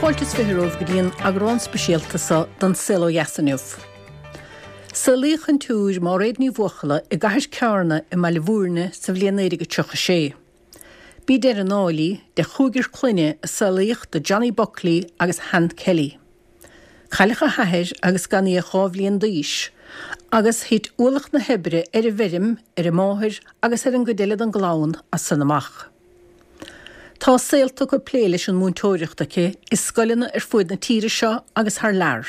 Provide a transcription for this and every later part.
Fáilte is 20 romhaibh go dtí an eagrán speisialta seo den Saol Ó Dheas inniu. Saolaíodh an tSiúr Máiréad Ní Bhuachalla i gCathair Cearna i mBaile Bhúirne sa bhliain 1936. B'í deireadh an fháil í de chúigear clainne a saolaíodh do Johnny Buckley agus Han Kelly. Cailleadh a hathair agus gan í ach 2 bhliain d'aois, agus thit ualach na hoibre ar an bhfeirm ar a máthair agus ar an gcuid eile den gclann as san amach. Tá a saol tugtha ag plé leis an múinteoireacht aici i scoileanna ar fuaid na tíre seo agus thar lear.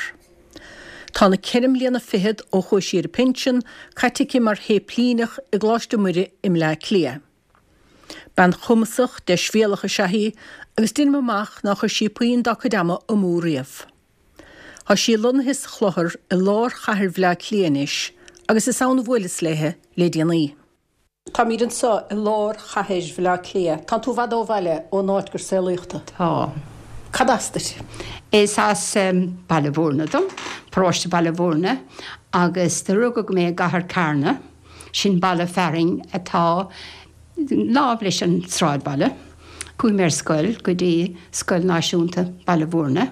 Tá na ceithre mbliana fichead ó chuaigh sí ar a pinsean caite aici mar shéiplíneach i gColáiste Muire i mBleá Cliath. Bean chumasach, deisbhéalach is ea í agus deinim amach nár chuir sí puinn dá cuid ama amú riamh. Tá sí lonnaithe sa Chlochar i lár chathair Bhleá Cliath anois agus is ann a bhuaileas léithe le déanaí. Táimid anseo i lár chathair Bhaile Átha Cliath. Tánn tú i bhfad ó bhaile, ón áit gur saolaíodh tú. Tá. Cad as duit? Is as Baile Bhúirne dom, paróiste Baile Bhúirne, agus do rugadh mé i gCathair Carna, sin baile fearainn atá láimh leis an sráidbhaile. Chuaigh mé ar scoil go dtí Scoil Náisiúnta Baile Bhúirne.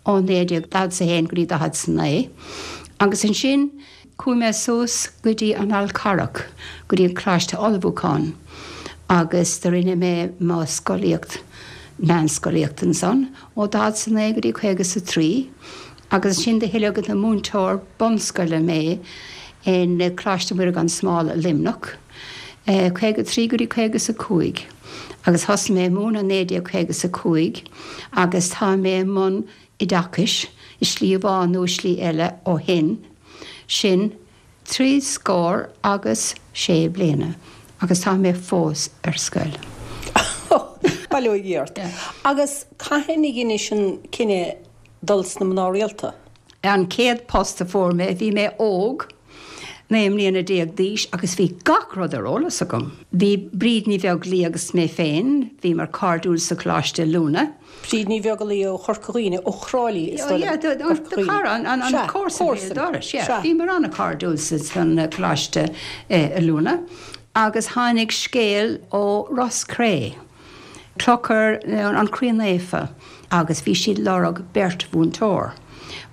ó 1941 go dtí 49, agus ansin chuaigh mé suas go dtí an Fhál Carrach, go dtí an Coláiste Ullmhúcháin, agus do rinne mé mo scolaíocht, meánscolaíocht ansan, ó 49 go dtí 53, agus ansin do hoileadh ina múinteoir bunscoile mé in Coláiste Mhuire gan Smál i Luimneach. 53 go dtí 55 agus thosaigh mé ag múineadh 1955 agus tá mé i mbun oideachais i slí amháin nó i slí eile ó shin, sin trí scór agus sé bliana agus tá mé fós ar scoil. Bail ó Dhia ort. Agus cathain a dheinis an cinneadh dul sna mná rialta? An chéad post a fuair mé, bhí mé óg, 19 mbliana d'aois agus bhí gach rud ar eolas agam. Bhí Bríd Ní Bheaglaoí agus mé féin, bhíomar cairdiúil sa Choláiste Oiliúna. Bríd Ní Bheaglaoí ó Chorca Dhuibhne, ó Thrá Lí is dóigh liom, Corca Dhuibhne. Cara, an comharsa béal dorais, yeah. Bhíomar an-chairdiúil san Choláiste Oiliúna agus tháinig scéal ó Ros Cré, Clochar an Chroí Naofa agus bhí siad lorg beirt mhúinteoir,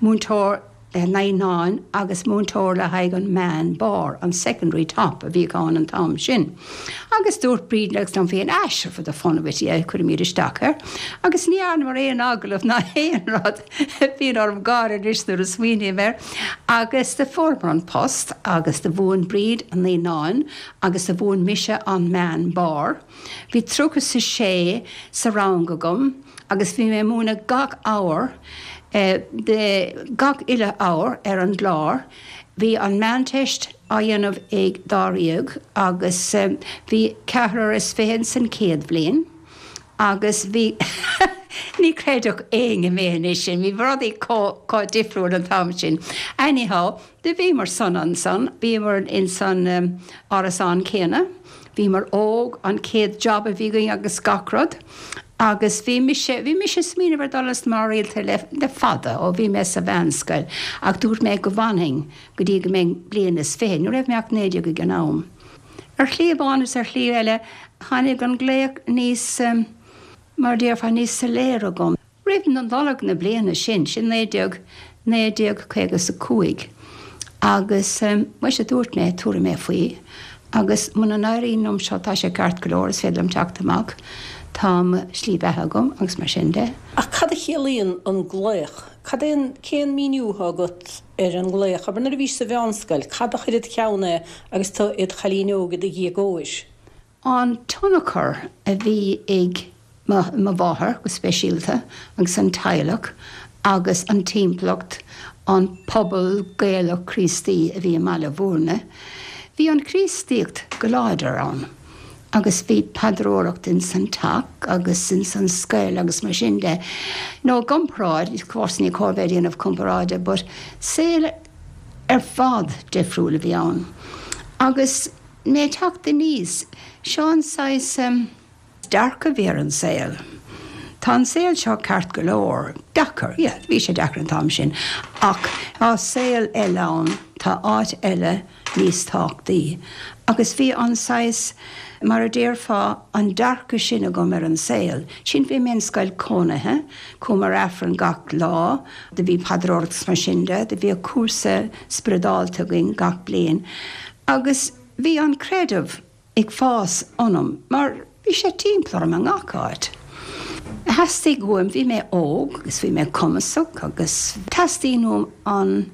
múinteoir le naíonáin agus múinteoir le haghaidh an meán barr, an secondary top a bhíodh ann an t-am sin. Agus dúirt Bríd agus liom féin, ah sure for the fun of it, yeah, cuirfimid isteach air. Agus ní dhearnamar aon agallamh ná aon rud, bíonn orm gáire anois nuair a smaoiním air. Agus do fuaireamar an post agus do mhúin Bríd an naíonáin agus do mhúin mise an meán barr. Bhí 36 sa rang agam agus bhí mé ag múineadh gach abhar, de gach uile abhar ar an gclár. Bhí an Meánteist á dhéanamh ag dáréag agus bhí ceathrar is fiche san chéad bhliain agus bhí, ní chreidfeadh éinne mé anois, bhí rudaí chomh difriúil an t-am sin. Anyhow, Do bhíomar sona ansan, bhíomar ins an árasán céanna, bhíomar óg, an chéad job a bhí againn agus gach rud. Agus bhí mise, bhí mise ag smaoineamh ar dul sna mná rialta le, le fada, ó bhí mé sa mheánscoil, ach dúirt mé go bhfanfainn go dtí go mbeinn bliain is fiche, ní raibh mé ach 19 ag an am. Ar shlí amháin is ar shlí eile, tháinig an glaoch níos, mar a déarfá, níos soiléire agam. Roimh na Nollag na bliana sin, sin 19, 1955, agus muise dúirt mé, tabharfaidh mé faoi, agus muna n-éiríonn liom seo tá sé ceart go leor, is féidir liom teacht amach, tá mo shlí bheatha agam agus mar sin de. Ach cad a chiallaíonn an glaoch? Cad é an, cén míniú atá agat ar an nglaoch? Abair nuair a bhís sa mheánscoil, cad a chuir id cheann é agus tú id chailín óg i do dhéagóir? An tionchar a bhí ag mo mháthair go speisialta agus an teaghlach agus an timpeallacht, an pobal Gaelach Críostaí a bhí i mBaile Bhúirne, bhí an Chríostaíocht go láidir ann agus bhí paidreoireacht ins an teach agus ins an scoil agus mar sin de. Nó i gcomparáid, of course ní cóir bheith ag déanamh comparáide but saol ar fad difriúil a bhí ann agus mé ag teacht aníos, seo an saghas dearcadh a bhí ar an saol. Tá an saol seo ceart go leor, deacair, yeah, bhí sé deacair an t-am sin, ach tá saol eile ann, tá áit eile níos tábhachtaí. Agus bhí an saghas, mar a déarfá, an dearcadh sin agam ar an saol. Sin bhí mé in scoil cónaithe, chuamar Aifreann gach lá, do bhí paidreoireacht is mar sin de, do bhíodh cúrsa spioradálta againn gach bliain agus bhí an creideamh ag fás ionam mar bhí sé timpeall orm i ngach áit. Theastaigh uaim, bhí mé óg agus bhí mé cumasach agus teastaíonn uaim an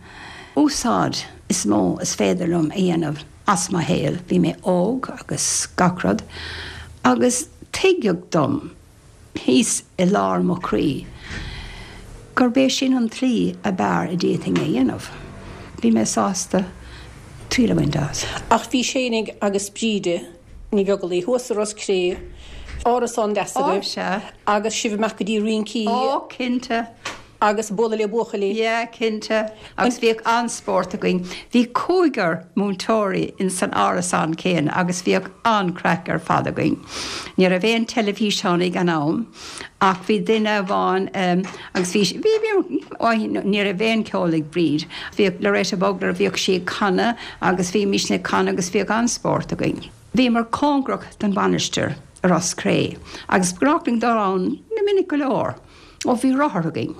úsáid is mó is féidir liom a dhéanamh as mo shaol. Bhí mé óg agus gach rud agus tuigeadh dom thíos i lár mo chroí gurb é sin an tslí ab fhearr a d'fhéadfainn é a dhéanamh. Bhí mé sásta triail a bhaint as. Ach bhís fhéinig agus Bríde Ní Bheaglaoich thuas i Ros Cré, árasán deas agaibh, agus sibh amach go dtí rincí. Ó, cinnte. Agus bualadh le buachaillí. Yeah, cinnte. Agus bhíodh an-spórt againn. Bhí cúigear múinteoirí ins an árasán céanna agus bhíodh an-craic ar fad againn. Ní raibh aon teilifíseán ag an am ach bhí duine amháin agus bhí, bhí, bhí, ní raibh aon ceol ag Bríd. Bhíodh Loretta Bugler, bhíodh sí ag canadh agus bhímisne ag canadh agus bhíodh an-spórt againn. Bhíomar cóngarach don mhainistir i Ros Cré agus ba ghnách linn dul ann minic go leor. Ó bhí rothar againn.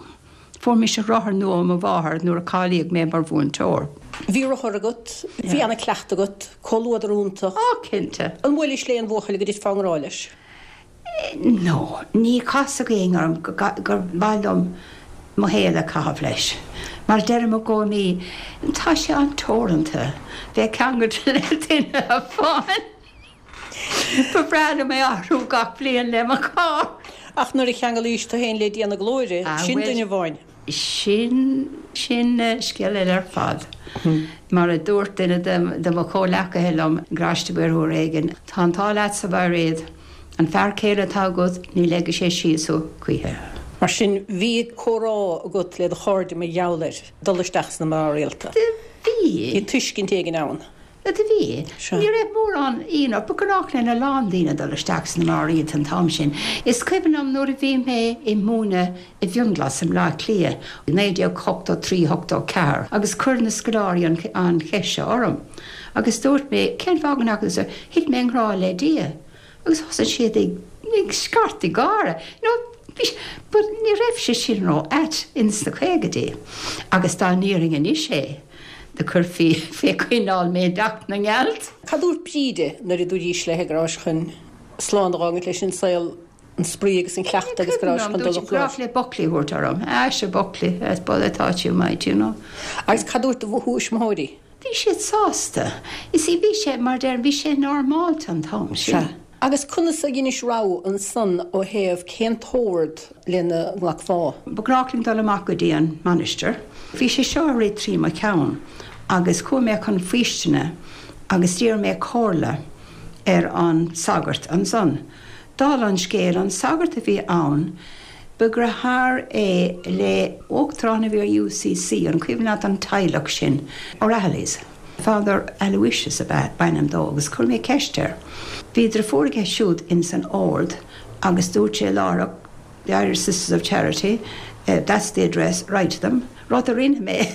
Fuair mise rothar nua ó mo mháthair nuair a cáilíodh mé mar mhúinteoir. Bhí rothar agat, bhí ana-cleachtadh agat, comhluadar iontach. Á, cinnte. An bhuailis le aon bhuachaill go dtitfeá i ngrá leis? No, ní chasfadh éinne orm gur mhaith liom mo shaol a chaitheamh leis. Mar deirim i gcónaí, tá sé an-teoranta bheith ceangailte le duine amháin. Ba bhreá liom é athrú gach bliain le mo charr. Ach nuair a cheanglaís tú féin le Dia na Glóire, sin duine amháin. Sin, sin scéal eile ar fad. Mar a dúirt duine de mo chomhleacaithe liom i gColáiste Mhuire uair éigin, tá an t-ádh leatsa, a Mhairéad, an fear céile atá agat, ní leigfidh sé síos thú choíche. Mar sin, bhí comhrá agat le do chairde mar gheall air dul isteach sna mná rialta. Do bhí. Bhí tuiscint éigin ann. Do bhí. Ní raibh mórán ionadh, ba ghnách lena lán daoine dul isteach sna mná rialta an t-am sin. Is cuimhin liom nuair a bhí mé ag múineadh i bhFionnghlas i mBleá Cliath i 1983, 84 agus chuir na scoláirí an cheist seo orm agus dúirt mé, cén fáth go ndeachaigh tú? Thit mé i ngrá le Dia. Agus thosaigh siad ag scairteadh gáire. You know, bhí, but ní raibh sé sin ró-ait ins na caogaidí. Agus dá ndéarfainn anois é, do chuirfí fé choinneáil mé i dteach na ngealt. Cad dúirt Bríde nuair a dúraís léithe go rabhais chun slán a dh'fhágaint leis an saol, an spraoi agus an cleachtadh agus go rabhais chun dul chun coláiste? Dúirt léi Buckley a thabhairt orm. Ah, sea Buckley, as baile atá tú, mate, you know. Agus cad dúirt do thuismitheoirí? Bhí siad sásta. You see, bhí sé, mar a deirim, bhí sé normálta an t-am sin. Sea. Agus conas a dheinis rogha ansan ó thaobh cén t-ord lena nglacfá? Ba ghnách linn dul amach go dtí an mainistir. Bhí sé seo ag rith trí mo cheann agus chuaigh mé chun faoistine agus d'iarr mé comhairle ar an sagart ansan. Dála an scéil, an sagart a bhí ann, ba dheartháir é le uachtarán a bhí ar UCC, an cuimhin leat an teaghlach sin, O'Rahillys? Father Aloysius ab ea b'ainm dó agus chuir mé ceist air. Bhí deirfiúr aige siúd ins an ord agus dúirt sé láithreach, The Irish Sisters of Charity, that's the address, write to them. Rud a rinne mé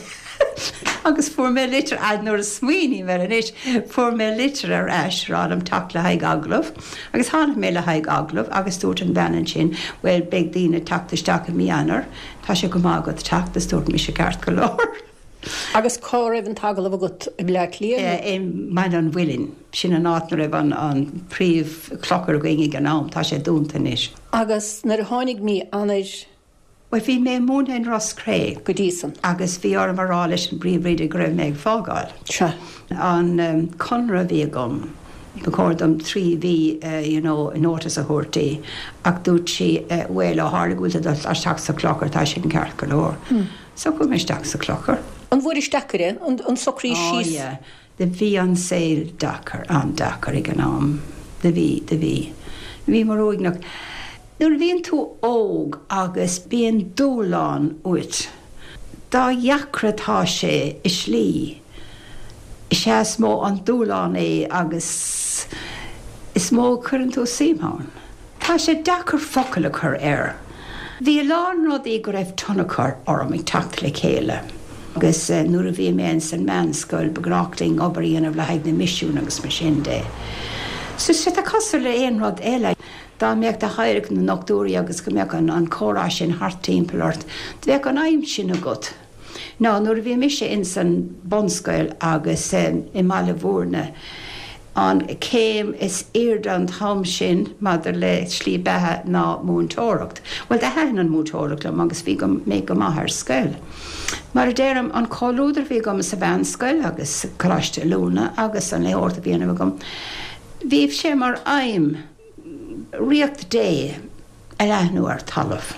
agus fuair mé litir, nuair a smaoiním air anois, fuair mé litir ar ais ag rá liom teacht le haghaidh agallamh agus tháinig mé le haghaidh agallamh agus dúirt an bhean ansin, bhuel beidh daoine ag teacht isteach i mí Eanáir, tá sé go maith agat teacht agus dúirt mise ceart go leor. Agus cá raibh an t-agallamh agat, i mBleá Cliath nó? I mBaile an Mhuilinn, sin an áit 'na raibh an príomh-chlochar againn ag an am, tá sé dúnta anois. Agus nuair a tháinig mí Eanáir Bhuel, bhí mé ag múineadh in Ros Cré. Go dtí san. Agus bhí orm a rá leis an bpríomhoide go raibh mé ag fágáil. Sea. An conradh a bhí agam, ba chóir dom 3 mhí you know notice a thabhairt di ach dúirt sí bhuel, ó tharla go bhfuil tú ag dul isteach sa chlochar, tá sin ceart go leor. So chuaigh mé isteach sa chlochar. An bhfuairis deacair é, an socrú síos? Oh yeah. Do bhí an saol deacair, an-deacair ag an am. Do bhí, do bhí. Bhíomar uaigneach. Nuair a bhíonn tú óg agus bíonn dúshlán uait, dá dheacra atá sé i slí, is ea is mó an dúshlán é agus is mó a chuireann tú suim ann. Tá sé deacair focail a chur air. Bhí a lán rudaí go raibh tionchar orm ag teacht le chéile agus nuair a bhí mé ins an meánscoil ba ghnách linn obair a dhéanamh le haghaidh na misiún agus mar sin de. So tá cosúil le aon rud eile, dá mbeadh do theaghlach ina ndochtúirí agus go mbeadh an comhrá sin thart timpeall ort, bheadh an aidhm sin agat. Ná nuair a bhí mise ins an bunscoil agus i mBaile Mhúirne, an céim is airde an t-am sin maidir le slí beatha ná múinteoireacht. Bhuel, do thaitin an múinteoireacht liom agus bhí mé go maith ar scoil. Mar a deirim, an comhluadar a bhí agam sa mheánscoil agus Coláiste Oiliúna agus an léitheoireacht a bhí á dhéanamh agam, bhí sé mar aidhm Ríocht Dé a leathnú ar talamh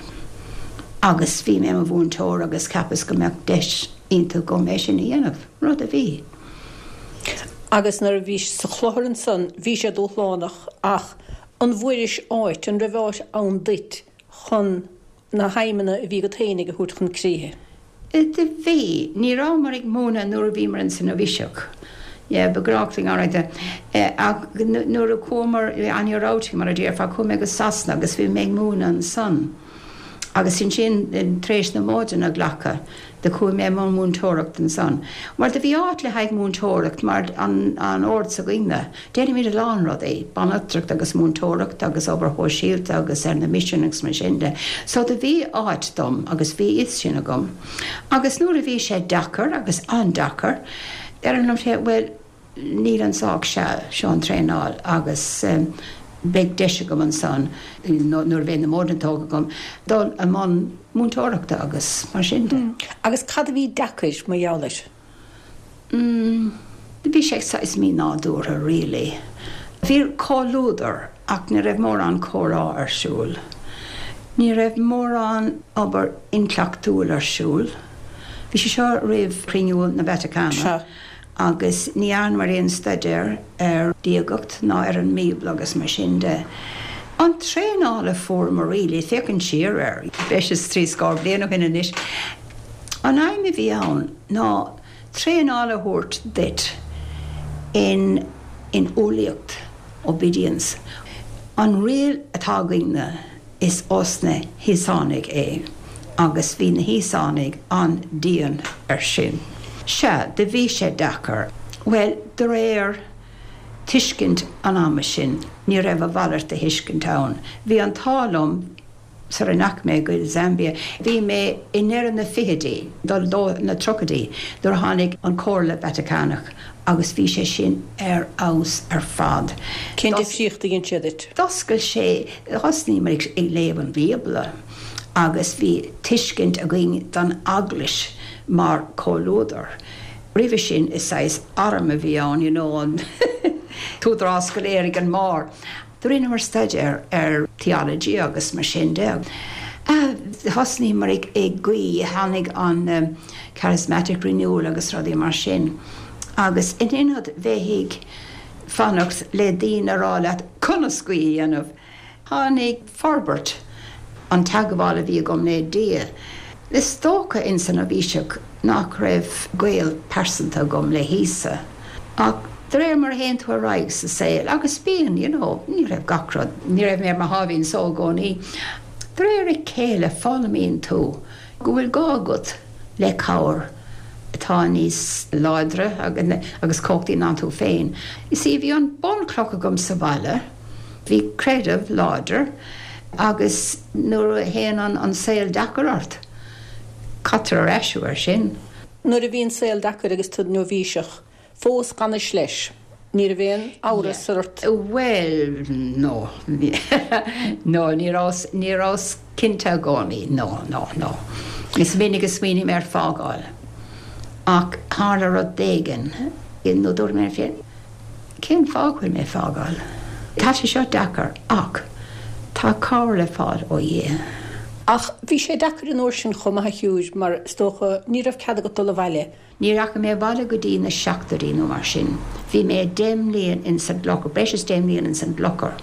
agus bhí mé i mo mhúinteoir agus cheapas go mbeadh deis iontach agam é sin a dhéanamh, rud a bhí. Agus nuair a bhís sa chlochar ansan bhí sé dúshlánach ach an bhfuairis áit, an raibh áit ann duit chun na haidhmeanna a bhí agat fhéinig a thabhairt chun críche. Do bhí. Ní rabhamar ag múineadh nuair a bhíomar ins an nóibhíseacht. Yeah, ba ghnách linn alright ach nuair a chuamar on your outing mar a déarfá, chuaigh mé go Sasana agus bhí mé ag múineadh ansan. Agus ansin tar éis na modhanna a ghlacadh do chuaigh mé i mbun múinteoireacht ansan. Bhuel do bhí áit le haghaidh múinteoireacht mar an an ord s'againne. Déanaimid a lán rudaí, banaltracht agus múinteoireacht agus obair shóisialta agus ar na misin agus mar sin de. So do bhí áit dom agus bhí fhios sin agam. Agus nuair a bhí sé deacair agus an-deacair, deirim liom féin, bhuel, níl anso ach seal, seo an traenáil agus beidh deis agam ansan, nuair a bheidh na modhanna tógtha agam, dul i mbun múinteoireachta agus mar sin de. Agus cad a bhí deacair mar gheall air? Mm, bhí sé saghas mí-nádúrtha really. Bhí comhluadar ach ní raibh mórán comhrá ar siúl. Ní raibh mórán obair intleachtúil ar siúl. Bhí sé seo roimh chruinniú na Vatacáine agus ní dhearnamar aon staidéar ar diagacht ná ar an mBíobla agus mar sin de. An traenáil a fuaireamar really, féachaint siar air, breis is trí scór bliain ó shin anois, an aidhm a bhí ann, ná traenáil a thabhairt duit in in umhlaíocht, obedience. An riail atá againne is ós na hÍosánaigh é agus bhí na hÍosánaigh an-dian ar sin. Sea, do bhí sé deacair. Bhuel, de réir tuiscint an ama sin, ní raibh a mhalairt de thuiscint ann. Bhí an t-ádh liom Sara ndeachaigh mé go Zambia, bhí mé i ndeireadh na fichidí, dul do na tríochaidí, nuair a tháinig an Comhairle Vatacánach agus bhí sé sin ar fheabhas ar fad. Cén difríocht a dhein sé duit? D'oscail sé, thosnaíomar ag léamh an Bhíobla agus bhí tuiscint againn don Eaglais mar chomhluadar. Roimhe sin is saghas arm a bhí ann, you know, an t-údarás go léir ag an mbarr. Do rinneamar staidéar ar theology agus mar sin de. Thosnaíomar ag guí, tháinig an charismatic renewal agus rudaí mar sin. Agus in ionad bheith ag fanacht le daoine a rá leat conas guí a dhéanamh, tháinig forbairt an teagmháil a bhí agam le Dia. Is dócha ins an nóibhíseacht nach raibh gaol pearsanta agam le hÍosa. Ach de réir mar a théann tú ar aghaidh sa saol, agus bíonn, you know, ní raibh gach rud, ní raibh mé ar mo sháimhín só i gcónaí, de réir a chéile foghlaimíonn tú go bhfuil gá agat le cabhair atá níos láidre agus cumhachtaí ná tú féin. You see, bhí an bunchloch agam sa bhaile, bhí creideamh láidir agus nuair a théann an saol deacair ort, caitear ar ais thú air sin. Nuair a bhí an saol deacair agus tú nóibhíseach, fós d'fhanais leis. Ní raibh aon amhras ort. Bhuel, no. No, ní rabhas, ní rabhas cinnte i gcónaí. No, no, no. Is minic a smaoinigh mé ar fágáil. Ach tharla rud éigin, nó dúirt mé liom féin, Cén fáth go bhfuil mé ag fágáil? Tá sé seo deacair, ach tá cabhair le fáil ó Dhia. Ach bhí sé deacair an uair sin chomh maith a shiúr, mar is dócha ní raibh cead agat dul abhaile. Ní rachaidh mé abhaile go dtí na seachtóidí nó mar sin. Bhí mé deich mbliain ins an gclochar, breis is deich mbliain ins an gclochar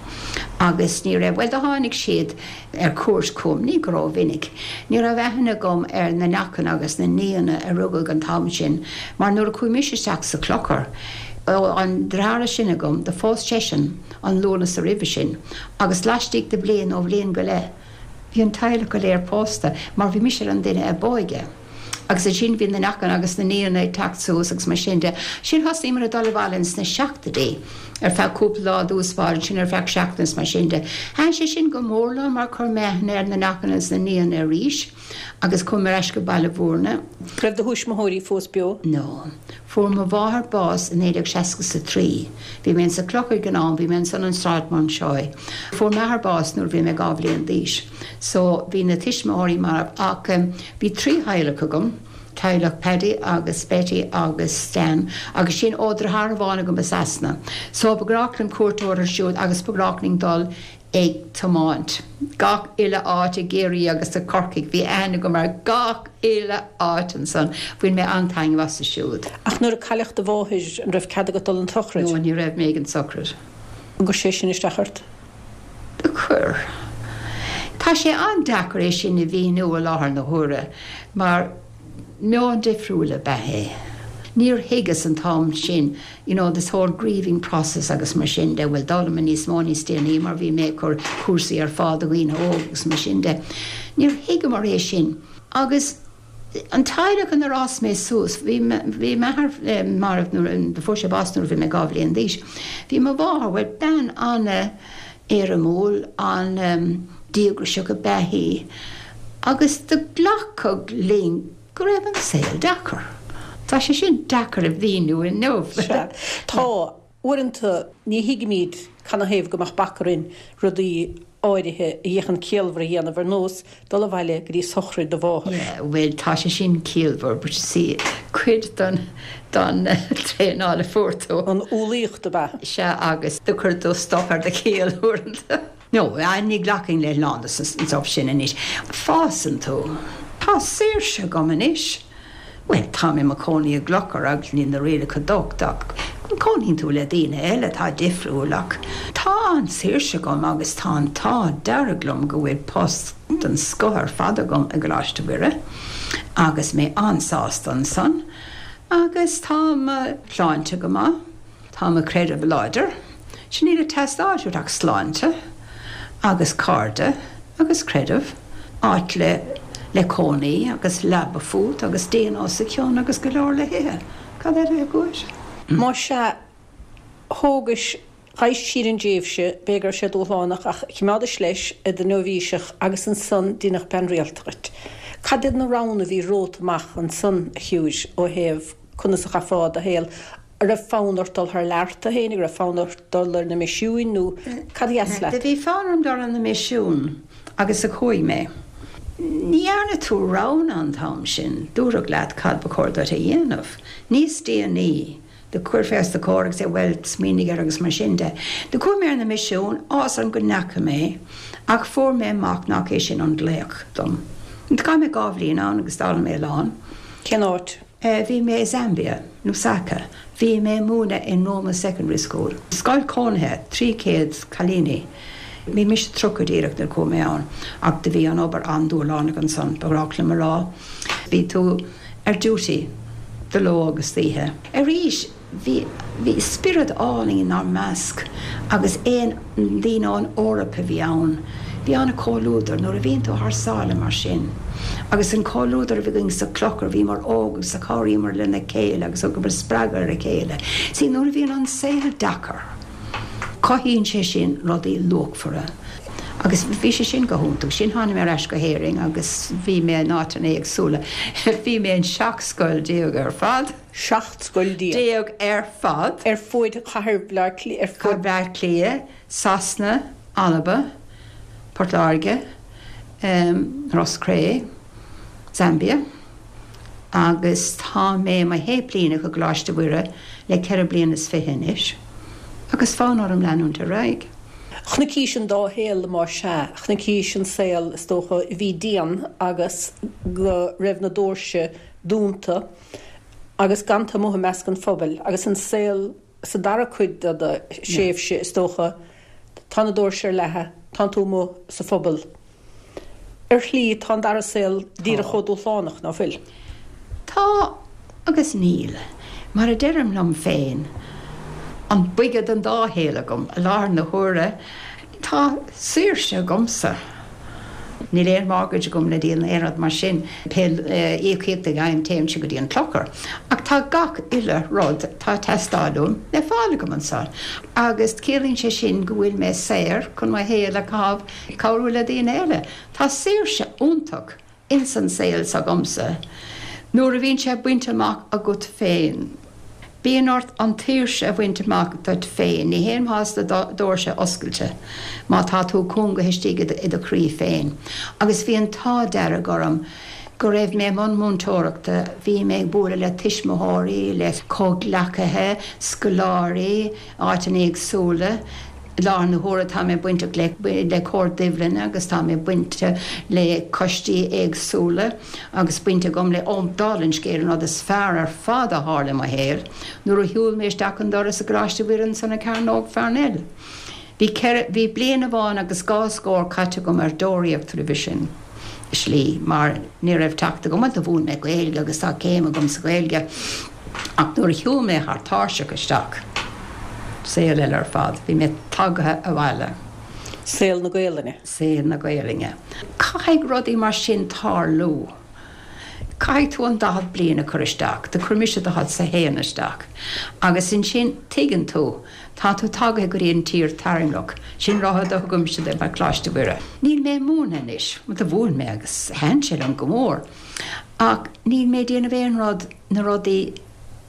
agus ní raibh, bhuel do tháinig siad ar cuairt chugam, ní go rómhinic. Ní raibh aithne agam ar na neachain agus na nianna a rugadh an t-am sin mar nuair a chuaigh mise isteach sa chlochar, an deartháir is sine agam, do phós seisean an Lúnasa roimhe sin agus laistigh de bhliain nó bhliain go leith. Bhí an teaghlach go léir pósta mar bhí mise an duine ab óige. Agus ansin bhí na neachanna agus na nianna ag teacht suas agus mar sin de. Sin thosnaíomar ag dul abhaile ins na seachtóidí ar feadh cúpla lá i dtús báire, ansin ar feadh seachtain is mar sin de. Thaitin sé sin go mór liom mar chuir mé aithne ar na neachanna is na nianna arís agus chuaigh mé ar ais go Baile Mhúirne. Raibh do thuismitheoirí fós beo? No. Fuair mo mháthair bás i 1963. Bhí mé insa Clochar ag an am, bhí mé ansan an Sráid Mountjoy. Fuair m'athair bás nuair a bhí mé 2 bhliain d'aois. So bhí na tuismitheoirí marbh ach bhí 3 theaghlach agam, teaghlach Paddy agus Betty agus Stan agus sin ó deartháir amháin agam i Sasana. So ba ghnách linn cuairt a thabhairt orthu siúd agus ba ghnách linn dul ag tiomáint gach uile áit i gCiarraí agus i Corcaigh. Bhí aithne agam ar gach uile áit ansan. Bhain mé an-taitneamh astu siúd. Ach nuair a cailleadh do mháthair, an raibh cead agat dul 'on tsochraid? No, ní raibh mé ag an tsochraid. An gcuir sé sin isteach ort? Do chuir. Tá sé an-deacair é sin a mhíniú i láthair na huaire mar meon difriúil ab ea é. Níor thuigeas an t-am sin you know this whole grieving process agus mar sin de, bhuel d'fhoghlaim mé níos mó níos déanaí mar bhí mé ag cur cúrsaí ar fáil do dhaoine óga agus mar sin de. Níor thuigeamar é sin. Agus an teaghlach inar fhás mé suas, bhí, bhí m'athair marbh nuair, fuair sé bás nuair a bhí mé 2 bhliain d'aois. Bhí mo mháthair, bhuel bean an-éirimiúil, an-díograiseach ab ea í agus do glacadh linn go raibh an saol deacair. Tá sé sin deacair a mhíniú inniu. Sea. Tá. Uaireanta ní thuigimid canathaobh go mbeadh bac orainn rudaí áirithe a fhéachann ciallmhar a dhéanamh, ar nós dul abhaile go dtí sochraid do mháthar. Yeah, bhuel, tá sé sin ciallmhar, but you see, cuid den, den traenáil a fuair tú. An umhlaíocht ab ea? Sea, agus do chuir tú stop ar do chiall uaireanta. No, ní ghlacfainn le lán de an stuff sin anois. Fásann tú. Tá saoirse agam anois. Bhuel, táim i mo chónaí i gClochar agus níl na rialacha docht ach cónaíonn tú le daoine eile atá difriúil ach tá an saoirse agam agus tá an t-ádh dearg liom go bhfuil post den scoth ar fad agam i gColáiste Mhuire agus mé an-sásta ansan agus tá mo shláinte go maith. Tá mo chreideamh láidir. Sea, níl ag teastáil uait ach sláinte agus cairde agus creideamh, áit le le cónaí agus leaba fút agus díon os a chionn agus go leor le hithe. Cad eile a bheadh uait? Más ea, thógais, ghabhais tríd an dtréimhse, b'fhéidir go raibh sé dúshlánach ach choimeádais leis i do nóibhíseach agus ansan deineadh bean rialta dhuit. Cad iad na roghanna a bhí romhat amach ansan, a Shiúir, ó thaobh conas a chaithfeá do shaol? An raibh fonn ort dul thar lear tú féin, an raibh fonn ort dul ar na misiúin nó cad a dheas leat? Do bhí fonn orm dul ar na misiúin agus do chuaigh mé. Ní dhearna tú roghanna an t-am sin, dúradh leat cad ba chóir duit a dhéanamh. Níos déanaí, do chuirfí os do chomhair agus é bhuel, smaoinigh air agus mar sin de. Do chuaigh mé ar na misiúin, áthas orm go ndeachaigh mé ach fuair mé amach nach é sin an glaoch dom. Chaith mé 2 bhliain ann agus d'fhoghlaim mé a lán. Cén áit? Bhí mé i Zambia, Lusaka. Bhí mé ag múineadh in Roma Secondary School. Scoil cónaithe, 300 cailíní. Bhí mise 30 díreach nuair a chuaigh mé ann ach do bhí an obair an-dúshlánach ansan, ba ghnách liom a rá. Bhí tú ar duty de ló agus d'oíche. Arís, Bhí, bhí spiorad álainn inár measc agus aon daoine ón Eoraip a bhí ann. Bhí an-chomhluadar nuair a bhíonn tú thar sáile mar sin. Agus an comhluadar a bhí againn sa Clochar, bhíomar óg agus chabhraíomar lena chéile agus thugamar spreagadh ar a chéile. See, nuair a bhíonn an saol deacair, cothaíonn sé sin rudaí luachmhara. Agus bhí sé sin go hiontach. Sin tháinig mé ar ais go hÉirinn agus bhí mé in áiteanna éagsúla. Bhí mé in 17 scoil ar fad. 17 scoil. déag ar fad. Ar fuaid chathair Bhaile Átha Cliath, ar fuaid. Bhaile Átha Cliath, Sasana, Alba, Port Láirge, Ros Cré, Zambia agus tá mé i mo shéiplíneach i gColáiste Mhuire le ceithre bliana is fiche anois agus fonn orm leanúint ar aghaidh. Chonaicis an dá shaol, más ea. Chonaicis an saol, is dócha, a bhí dian agus go raibh na doirse dúnta. agus gan tú amuigh i measc an phobail agus an saol sa dara cuid de do thréimhse, is dócha, tá na doirse ar leathadh, tánn tú amuigh sa phobal. Ar shlí, tá an dara saol díreach chomh dúshlánach, ná fuil? Tá agus níl. Mar a deirim liom féin, an boige den dá shaol agam i láthair na huaire. Tá saoirse agamsa. Níl aon mortgage agam le díol ná aon rud mar sin. Pé íocaíocht a fhaighim téann sé go dtí an clochar. Ach tá gach uile rud atá ag teastáil uaim le fáil agam anso. Agus ciallaíonn sé sin go bhfuil mé saor chun mo shaol a chaitheamh ag cabhrú le daoine eile. Tá saoirse iontach ins an saol s'agamsa nuair a bhíonn sé bainte amach agat féin. Bíonn ort an tsaoirse a bhaint amach duit féin, ní haon mhaitheas do dhoirse oscailte má tá tú cúngaithe istigh i do chroí féin. Agus bhí an t-ádh dearg orm go raibh mé i mbun múinteoireachta, bhí mé ag bualadh le tuismitheoirí, le comhghleacaithe, scoláirí, áiteanna éagsúla. I láthair na huaire tá mé bainteach le Comhar Duibhlinne agus tá mé bainteach le coistí éagsúla agus baint agam le, ó, dála an scéil, an rud is fearr ar fad a tharla i mo shaol, nuair a shiúil mé isteach an doras i gColáiste Mhuire ansan i Cearnóg Pharnell. Bhí ceithre, bhí bliain amháin agus dhá scór caite agam ar deoraíocht roimhe sin, i slí, mar ní raibh teacht agam, bhuel do mhúin mé Gaeilge agus tá céim agam sa Ghaeilge, Ach nuair a shiúil mé thar tairseach isteach, saol eile ar fad, bhí mé tagaithe abhaile. Saol na Gaelainne. Saol na Gaelainne. Caithfidh rudaí mar sin tarlú. Caithfidh tú an 40 bliain a chur isteach, do chuir mise daichead 's a haon isteach, agus ansin tuigeann tú, tá tú tagaithe go dtí an tír tairngreach. Sin rud a thugaimse de mar Coláiste Mhuire. Níl mé ag múineadh anois, bhuel do mhúin mé agus thaitin sé liom go mór, ach níl mé ag déanamh aon rud, na rudaí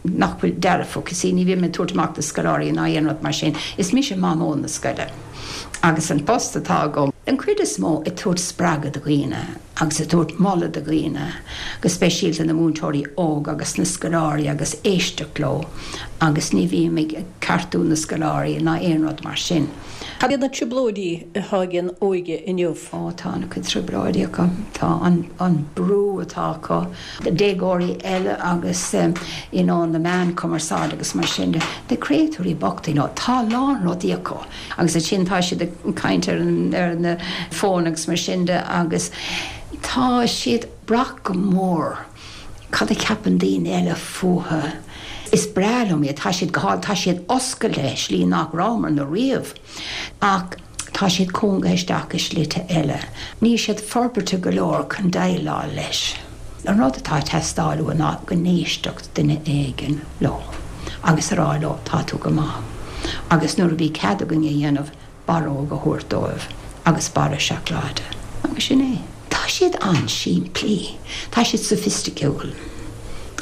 nach bhfuil dearfach, you see, ní bhím ag tabhairt amach na scoláirí ná aon rud mar sin, is mise mamó na scoile agus an post atá agam, den chuid is mó, ag tabhairt spreagadh do dhaoine agus ag tabhairt moladh do dhaoine, go speisialta na múinteoirí óga agus na scoláirí agus éisteacht leo agus ní bhím ag ceartú na scoláirí ná aon rud mar sin. Cad iad na trioblóidí atá ag an óige inniu? Ó, tá an-chuid trioblóidí acu. Tá an brú atá acu. déagóirí eile agus you know na meáin cumarsáide agus mar sin de, na créatúirí bochta you know tá a lán rudaí acu agus ansin tá siad ag caint ar an ar na fóin agus mar sin de agus tá siad ag brath go mór cad a cheapann daoine eile fúthu. Is breá liom iad, tá siad go hálainn, tá siad oscailte i slí nach rabhamarna riamh. Ach tá siad cúngaithe isteach i slite eile. Níl siad forbartha go leor chun déileáil leis. An rud atá ag teastáil uathu ná go n-éistfeadh duine éigin leo agus a rá leo 'tá tú go maith' agus nuair a bhí cead againn a dhéanamh, barróg a thabhairt dóibh agus barra seacláide agus sin é. Tá siad an-simplí. Tá siad soifisticiúil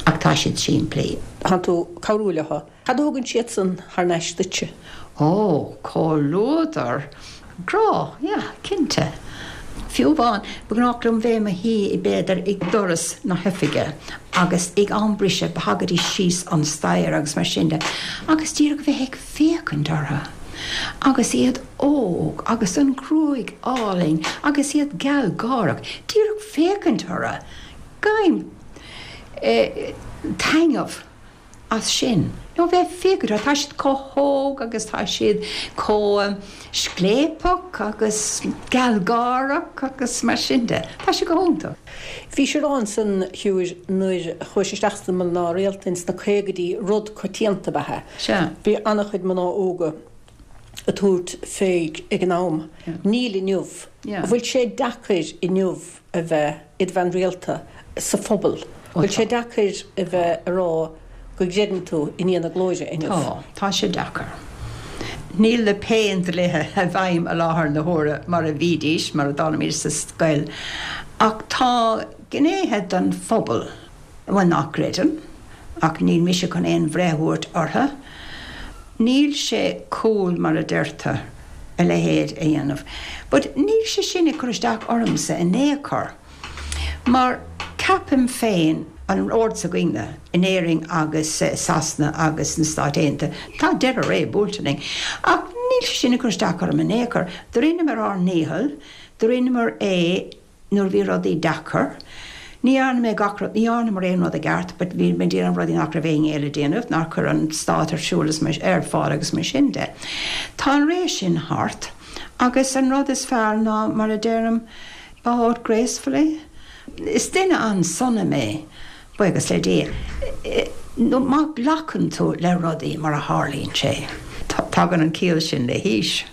ach tá siad simplí. Tá tú ag cabhrú leo. Cad a thugann siadsan thar n-ais duitse? Ó, comhluadar, grá, yeah, cinnte. Fiú amháin, ba ghnách liom bheith i mo shuí b'fhéidir ag doras na hoifige agus ag am briseadh thagaidís síos an staighre agus mar sin de agus díreach bheith ag féachaint orthu agus iad óg agus an ghruaig álainn agus iad gealgháireach, díreach féachaint orthu, gabhaim taitneamh. as sin. Nó bheith ag féachaint orthu, tá siad chomh hóg agus tá siad chomh scléipeach agus gealgháireach agus mar sin de. Tá sé go hiontach. Bhís ag rá ansan, a Shiúir, nuair a chuais isteach sna mná rialta ins na caogaidí, rud coitianta ab ea é. Sea. Bhí an-chuid mná óga ag tabhairt fé ag an am. Níl inniu. Yeah. An bhfuil sé deacair inniu a bheith id bhean rialta sa phobal? Bhfuil sé deacair a bheith a rá go gcreideann tú i nDia na Glóire inniu? Tá. Tá sé deacair. Níl na péindlíthe i bhfeidhm i láthair na huaire mar a bhídís, mar a d'fhoghlaimíos sa scoil, ach tá gnéithe den phobal, bhuel, nach gcreideann, ach níl mise chun aon bhreith a thabhairt orthu. Níl sé cool, mar a deirtear, a leithéid a dhéanamh. But níl sé sin ag cur isteach ormsa in aon chor. Mar ceapaim féin, an ord s'againne in Éirinn agus i Sasana agus sna Stáit Aontaithe, tá deireadh ré buailte linn. Ach níl sé sin ag cur isteach orm in aon chor. Do rinneamar ár ndícheall, do rinneamar é nuair a bhí rudaí deacair. Ní dhearna mé gach rud, ní dhearnamar aon rud i gceart but bhí mé ag déanamh rudaí nach raibh éinne eile ag déanamh, nár chuir an stát ar siúl is mar, ar fáil agus mar sin de. Tá an ré sin thart agus an rud is fearr ná, mar a deirim, Bow out gracefully. Is duine an-sona mé, buíochas le Dia. Nó má ghlacann tú le rudaí mar a tharlaíonn sé, tagann an ciall sin le haois.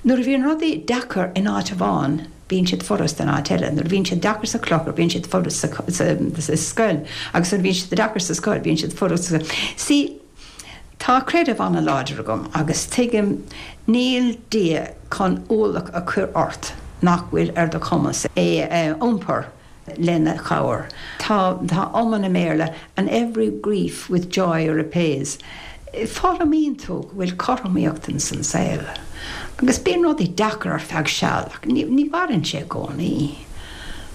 Nuair a bhíonn rudaí deacair in áit amháin, bíonn siad furasta in áit eile. Nuair a bhíonn siad deacair sa chlochar, bíonn siad furasta sa scoil. Agus nuair a bhíonn siad deacair sa scoil, bíonn siad furasta sa. See, tá creideamh an-láidir agam agus tuigim níl Dia chun ualach a chur ort nach bhfuil ar do chumas é a iompar. lena chabhair. Tá tá iomann i mBéarla, and every grief with joy repays. Foghlaimíonn tú go bhfuil cothromaíocht ins an saol. Agus bíonn rudaí deacair ar feadh seal ach ní ní mhaireann sé i gcónaí.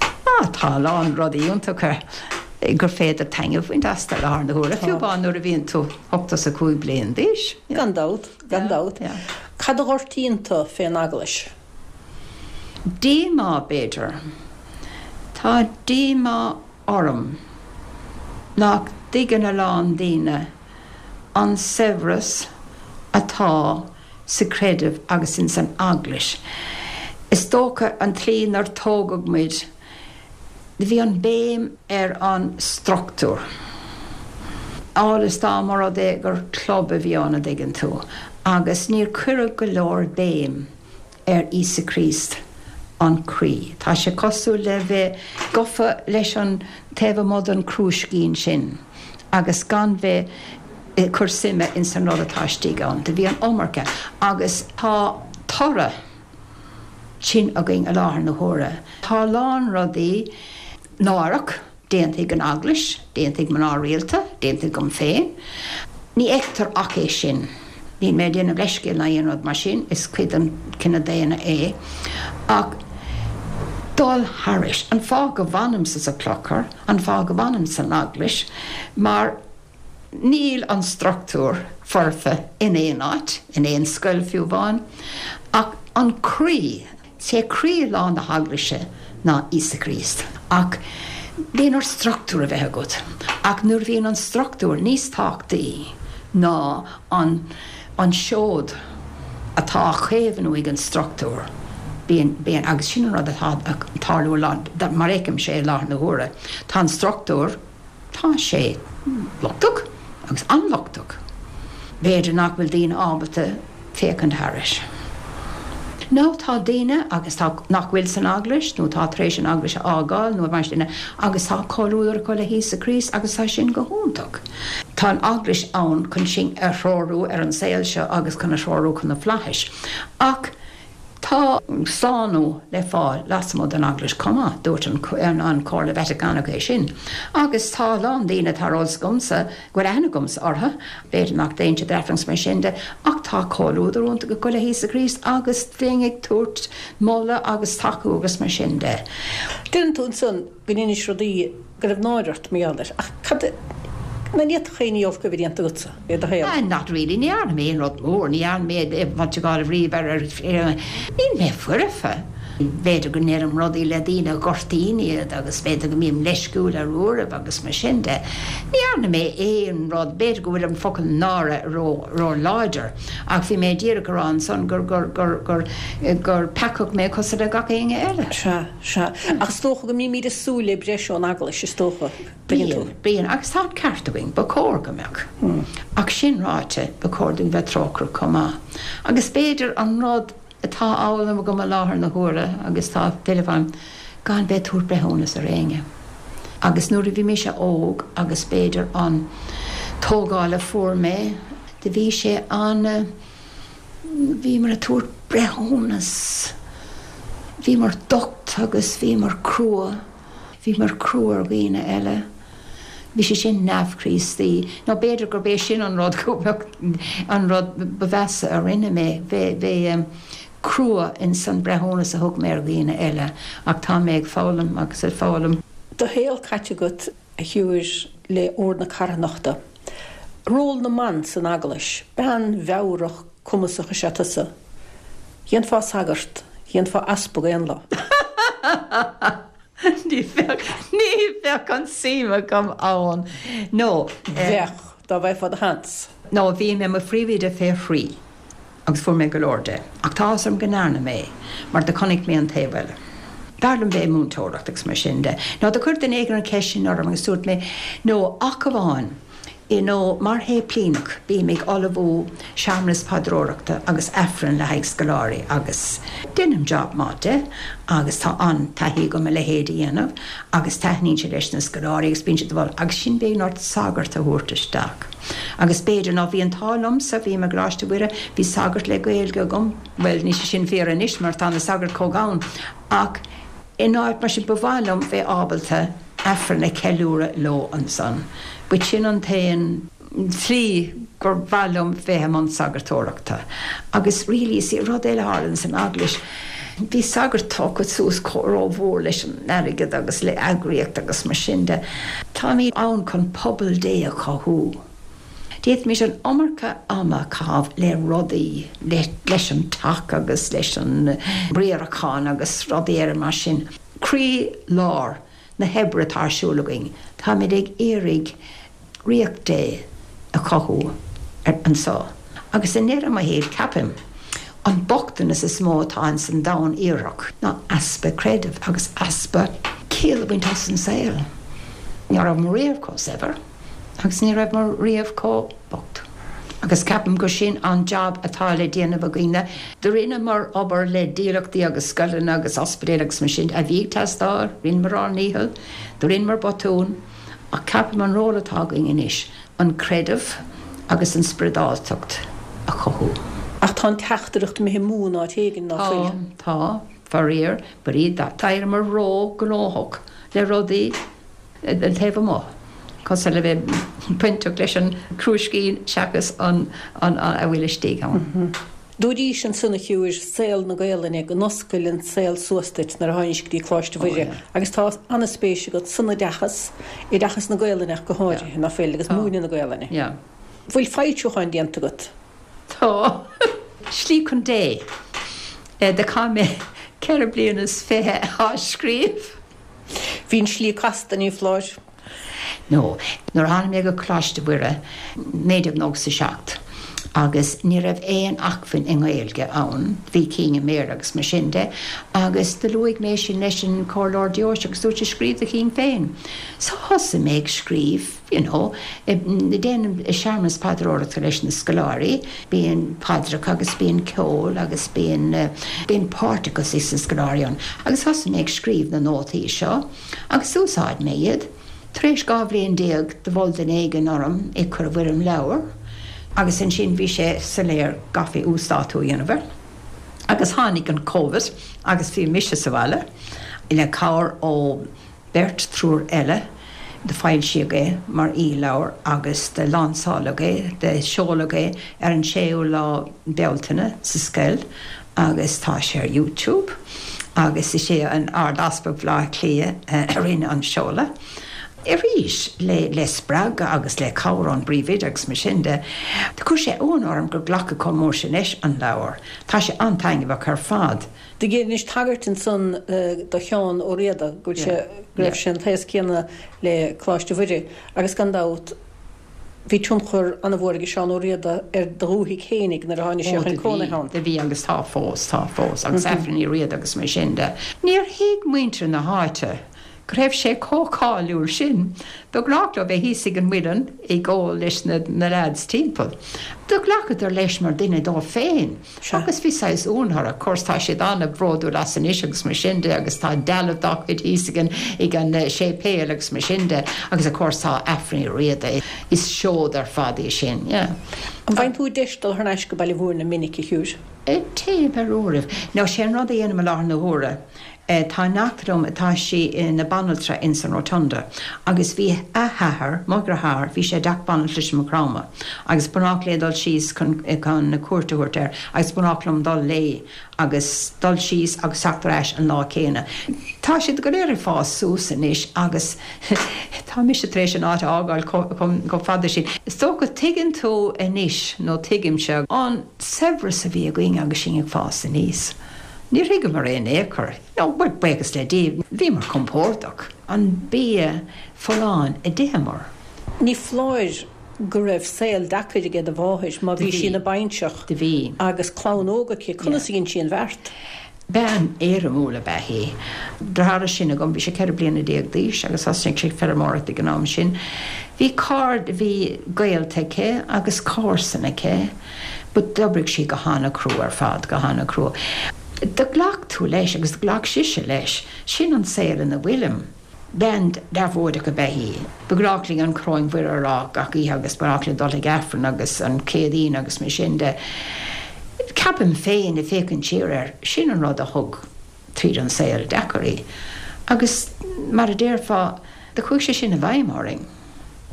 Ah tá a lán rudaí iontacha gur féidir taitneamh a bhaint astu i láthair na huaire, fiú amháin nuair a bhíonn tú 85 bliain d'aois. Gan dabht, gan dabht. Cad a ghortaíonn tú fén Eaglais? Díomá, b'fhéidir. Tá díomá orm nach dtuigeann a lán daoine an saibhreas atá sa chreideamh agus ins an Eaglais. Is dócha an tslí 'nar tógadh muid, bhí an béim ar an struchtúr. Amhail is dá mba rud é gur club a bhí ann, a dtuigeann tú, agus níor cuireadh go leor béim ar Íosa Críost, an croí. Tá sé cosúil le bheith gafa leis an taobh amuigh den chrúiscín sin agus gan bheith ag cur suime ins an rud atá istigh ann. Do bhí an iomarca agus tá toradh sin againn i láthair na huaire. Tá a lán rudaí náireach. Déanta ag an Eaglais, déanta ag mná rialta, déanta agam féin. Ní fheictear ach é sin. Níl mé ag déanamh leithscéil ná aon rud mar sin, is cuid den chine daonna é. Ach dul thairis. An fáth go bhfanaimse sa chlochar, an fáth go bhfanaim san Eaglais, mar Níl an struchtúr foirfe in aon áit, in aon scoil fiú amháin, ach an croí, is é croílár na hEaglaise ná Íosa Críost. Ach bíonn ort struchtúr a bheith agat, ach nuair a bhíonn an struchtúr níos tábhachtaí ná an an seod atá á chaomhnú ag an struchtúr, bíonn, bíonn, agus sin an rud atá ag tarlú mar a fheicimse é i láthair na huaire, tá an struchtúr, Tá sé lochtach, agus an-lochtach. B'fhéidir nach bhfuil daoine ábalta féachaint thairis. Nó tá daoine agus tá, nach bhfuil san Eaglais, nó tá tar éis an Eaglais a fhágáil, nó mar sin de, agus tá comhluadar acu le hÍosa Críost agus tá sin go hiontach. Tá an Eaglais ann chun sinn a threorú ar an saol seo agus chun a threorú chun na flaithis. Ach. Tá slánú le fáil lasmuigh den Eaglais chomh maith, dúirt an Chomhairle Vatacánach é sin. Agus tá a lán daoine atá ar eolas agamsa, go bhfuil aithne agamsa orthu, b'fhéidir nach dtéann siad ar Aifreann is mar sin de, ach tá comhluadar iontach acu le hÍosa Críost agus bheinn ag tabhairt moladh agus tacú agus mar sin de. Deireann tú ansan go ndeinis rudaí go raibh náire ort mar gheall air, ach cad, an bhféadfadh aon ní olc a bheith déanta agatsa i do shaol? Not really, ní dhearna mé aon rud mór, ní dhearna mé fáilte gáire riamh ar, ar, níl mé foirfe. B'fhéidir go ndeirim rudaí le daoine a ghortaíonn iad agus b'fhéidir go mbím leisciúil ar uairibh agus mar sin de. Ní dhearna mé aon rud, b'fhéidir go bhfuil an focal náire ró, ró láidir ach bhí mé díreach a rá ansan gur, gur, gur, gur, gur peacach mé cosúil le gach éinne eile. Sea. Sea. Ach is dócha go mbímid ag súil le breis ón Eaglais, is dócha. Tuigeann tú. Bíonn, bíonn. Agus tá an ceart againn. Ba chóir go mbeadh. Ach sin ráite, ba chóir dúinn bheith trócaireach chomh maith. Agus b'fhéidir an rud atá á fhoghlaim agam i láthair na huaire, agus tá filleadh orm, gan bheith ag tabhairt breithiúnas ar éinne. Agus nuair a bhí mise óg, agus b'fhéidir an tógáil a fuair mé, do bhí sé an-. Bhíomar ag tabhairt breithiúnas. Bhíomar docht agus bhíomar crua. Bhíomar crua ar dhaoine eile. Bhí sé sin neamh-Chríostaí. Nó b'fhéidir gurb é sin an rud go mbeadh an rud ba mheasa a rinne mé, bheith bheith crua ins an breithiúnas a thug mé ar dhaoine eile. Ach tá mé ag foghlaim agus ag foghlaim. Do shaol caite agat a Shiúir, le Ord na Carthanachta. Ról na mban san Eaglais. Bean mheabhrach cumasach is ea tusa. Dhéanfá sagart, dhéanfá easpag aon lá. Ní bheadh, ní bheadh an suim agam ann. No. Bheadh, dá bhfaighfeá do sheans. No, bhí mé i mo phríomhoide fé thrí. Agus fuair mé go leor de. Ach tá áthas orm go ndearna mé é, mar do chonaic mé an taobh eile. B'fhearr liom bheith ag múinteoireacht agus mar sin de. Nó do chuir duine éigin an cheist sin orm agus dúirt mé, no, ach amháin. You know, mar shéiplíneach, bím ag ullmhú searmanas paidreoireachta agus Aifreann le haghaidh scoláirí agus deinim job maith de agus tá an-taithí agam a leithéid a dhéanamh agus taitníonn sé leis na scoláirí agus bíonn siad ag moladh agus ansin bíonn ort sagart a thabhairt isteach agus b'fhéidir ná bhí an t-ádh liomsa, bhí mé i gColáiste Mhuire, bhí sagart le Gaeilge agam, bhuel níl sé sin fíor anois mar tá na sagairt chomh gann ach In áit mar sin ba mhaith liom bheith ábalta Aifreann a cheiliúradh leo ansan. But sin an t-aon tslí gur mhaith liom bheith i mbun sagartóireachta. Agus really, see, rud eile a tharlaíonn san Eaglais, bhí sagairt tógtha suas chomh rómhór leis an airgead agus le eagraíocht agus mar sin de. Táimid ann chun pobal Dé a chothú. D'fhéadfaimis an iomarca ama a chaitheamh le rudaí, leis an teach agus leis an riarachán agus rudaí eile mar sin. Croí lár na hoibre atá ar siúl againn, táimid ag iarraidh Ríocht Dé a chothú anseo. Agus i ndeireadh mo shaoil, ceapaim, an bochtanas is mó atá ins an domhan iartharach ná easpa creidimh agus easpa ciall a bhaint as an saol. Ní rabhamar riamh chomh saibhir. Agus ní rabhamar riamh chomh bocht. Agus ceapaim gur sin an jab atá le déanamh againne. Do rinneamar obair le dílleachtaí agus scoileanna agus ospidéil agus mar sin a bhí ag teastáil, rinneamar ár ndícheall, do rinneamar botún, ach ceapaim an ról atá againn anois, an creideamh agus an spioradáltacht a chothú. Ach tá an teachtaireacht imithe amú in áit éigin, ná fuil? Tá, tá, faraor, but d'éiríomar ró-ghnóthach le rudaí. an taobh amuigh, cosúil le bheith bainteach leis an gcrúiscín seachas an a bhfuil istigh ann. Dúraís ansan a shiúir, saol na Gaelainne, go n-oscail an saol suas duit nuair a tháinís go dtí Coláiste Mhuire agus tá an-spéis agat san oideachas, oideachas na Gaelainne ach go háirithe, ná fuil, agus múineadh na Gaelainne. Bhfuil foilsiúcháin déanta agat? Tá. Slí chun Dé. Do chaith mé 24 bliana á scríobh. Bhí an slí casta, ní foláir. No. Nuair a tháinig mé go Coláiste Mhuire, 1997, agus ní raibh aon acmhainn i nGaeilge ann, bhí cinn i mBéarla agus mar sin de, agus do luaigh mé sin leis an Comhairleoir Deoise agus dúirt sé scríobh do chinn féin. So thosaigh mé ag scríobh. you know, déanaim searmanas paidreoireachta leis na scoláirí, bíonn paidreacha agus bíonn ceol agus bíonn, bíonn páirteachas ag na scoláirí ann agus thosaigh mé ag scríobh na nótaí seo agus d'úsáid mé iad. Tar éis 12 bhliain do mhol duine éigin orm é chur i bhfoirm leabhair agus ansin bhí sé soiléir go gcaithfí uasdátú a dhéanamh air agus tháinig an Covid agus bhí mise sa bhaile le cabhair ó beirt, triúr eile, do foilsíodh é mar e-leabhar agus do lansáladh é, do seoladh é ar an 6ú lá Bealtaine sa scoil agus tá sé ar YouTube agus is é an Ard-Easpag Bhaile Átha Cliath a rinne an seoladh. Arís, le le spreagadh agus le cabhair ón bpríomhoide agus mar sin de, do chuir sé ionadh orm gur glacadh chomh mór sin leis an leabhar. Tá sé an-taitneamhach ar fad. Do dheinis tagairt ansan do Sheán Ó Riada, go bhfuil sé, go raibh sé an t-aos céanna le Coláiste Mhuire, agus gan dabht bhí tionchar an-mhór aige Seán Ó Riada ar do dhúthaigh fhéinig nuair a tháinig sé chun cónaithe ann. Do bhí agus tá fós, tá fós, agus Aifric Ní Riada agus mar sin de. Níor thuig muintir na háite go raibh sé chomh cáiliúil sin. Ba ghnách leo bheith thíos ag an muileann ag ól leis na leaids timpeall. Do ghlacadar leis mar duine dóibh féin agus bhí saghas ionadh orthu. Of course tá siad an-bhródúil as anois agus mar sin de agus tá dealbh dá chuid thíos ag an ag an séipéal agus mar sin de agus of course tá Aifric Ní Riada. Is seod ar fad í sin, yeah. An bhfaigheann tú deis dul thar n-ais go Baile Mhúirne minic, a Shiúir? Téim ar uairibh. Now sé an rud a dhéanaim i láthair na huaire, Tá neacht liom, tá sí ina banaltra ins an Rotunda agus bhí a hathair, mo dheartháir, bhí sé i dteach banaltrais i Maigh Chromtha agus ba ghnách léi dul síos chun chun cuairt a thabhairt air agus ba ghnách liom dul léi agus dul síos agus teacht ar ais an lá céanna. Tá siad go léir ag fás suas anois agus tá mise tar éis an áit a fhágáil chomh fada sin. Is dócha, tuigeann tú anois, nó tuigimse, an saibhreas a bhí againn agus sinn ag fás aníos. Níor thuigeamar é in aon chor. No, bhuel, buíochas le Dia, bhíomar compordach. An bia folláin a d'itheamar. Ní foláir go raibh saol deacair aige do mháthair má bhí sí ina bainseach Do bhí. agus clann óg aici. Conas a dhein sí an bheart? Bean éirimiúil ab ea í. Deartháir is sine agam, bhí sé 14 bliana d'aois agus thosnaigh sé ag feirmeoireacht ag an am sin. Bhí cairde, bhí gaolta aici agus comharsain aici but d'oibrigh sí go han-chrua ar fad, go han-chrua. Do ghlac tú leis agus do ghlac sise leis, sin an saol ina bhfuilim. Bean deabhóideach ab ea í. Ba ghnách linn an Choróin Mhuire a rá gach oíche agus ba ghnách linn dul chuig Aifreann agus an Chéadaoin agus mar sin de. Ceapaim féin, ag féachaint siar air, sin an rud a thug tríd an saol deacair í. Agus mar a déarfá, do chuaigh sé sin i bhfeidhm orainn.